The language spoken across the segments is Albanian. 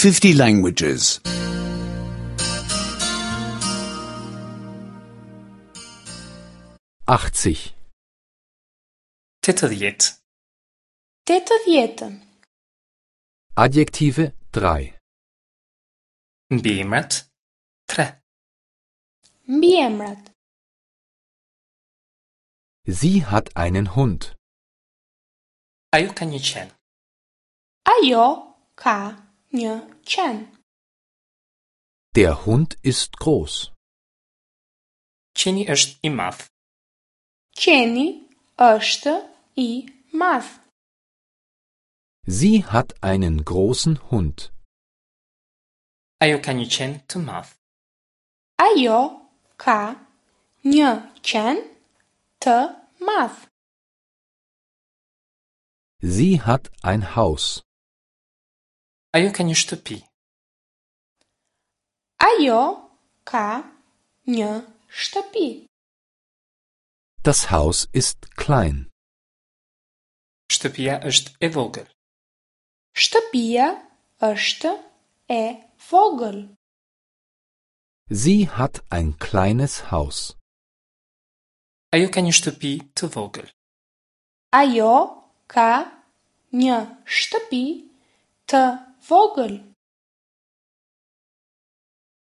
50 languages. 80. 80. 80. Adjektive 3. Mbiemrat 3. Mbiemrat. Sie hat einen Hund. Ajo ka një qen. Ajo ka një qen. Der Hund ist groß. Qeni është i madh. Qeni është i madh. Sie hat einen großen Hund. Ajo ka një qen të madh. Ajo ka një qen të madh. Sie hat ein Haus. Ajo ka një shtëpi. Ajo ka një shtëpi. Das Haus ist klein. Shtëpia është e vogël. Shtëpia është e vogël. Sie hat ein kleines Haus. Ajo ka një shtëpi të vogël. Ajo ka një shtëpi të vogël.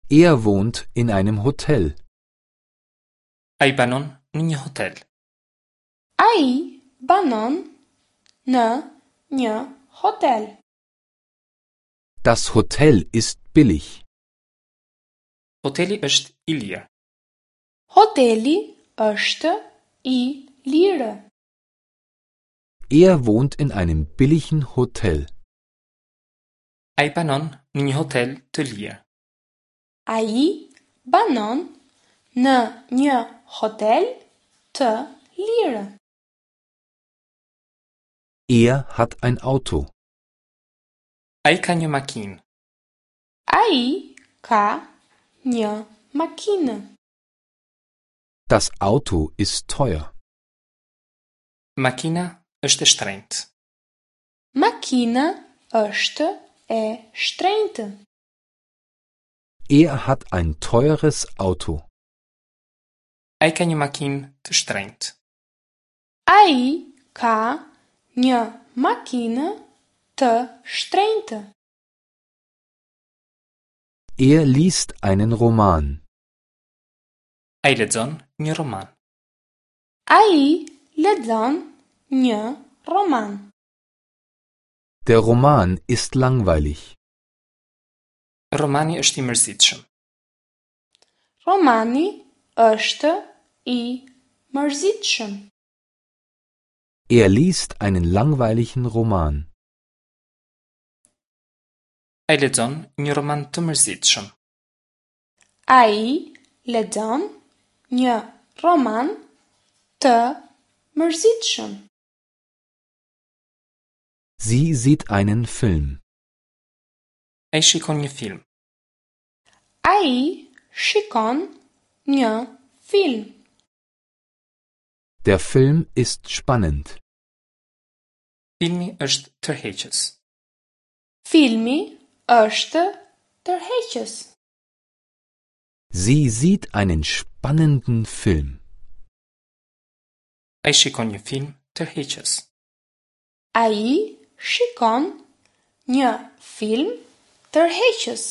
Er wohnt in einem Hotel. Ai banon në një hotel. Ai banon në një hotel. Das Hotel ist billig. Hoteli është i lirë. Hoteli është i lirë. Er wohnt in einem billigen Hotel. Ai banon në një hotel të lirë. Ai banon në një hotel të lirë. Er hat ein Auto. Ai ka një makinë. Ai ka një makinë. Das Auto ist teuer. Makina është e shtrenjtë. Makina është e shtrenjtë. Er hat ein teures Auto. Ai ka një makinë të shtrenjtë. Ai ka një makinë të shtrenjtë. Er liest einen Roman. Ai lexon një roman. Ai lexon një roman. Der Roman ist langweilig. Romani është i mërzitshëm. Romani është i mërzitshëm. Er liest einen langweiligen Roman. Ai lexon një roman të mërzitshëm. Ai lexon një roman të mërzitshëm. Sie sieht einen Film. Ai shikon një film. Ai shikon një film. Der Film ist spannend. Filmi është tërheqës. Filmi është tërheqës. Sie sieht einen spannenden Film. Ai shikon një film tërheqës. Ai shikon një film tërheqës.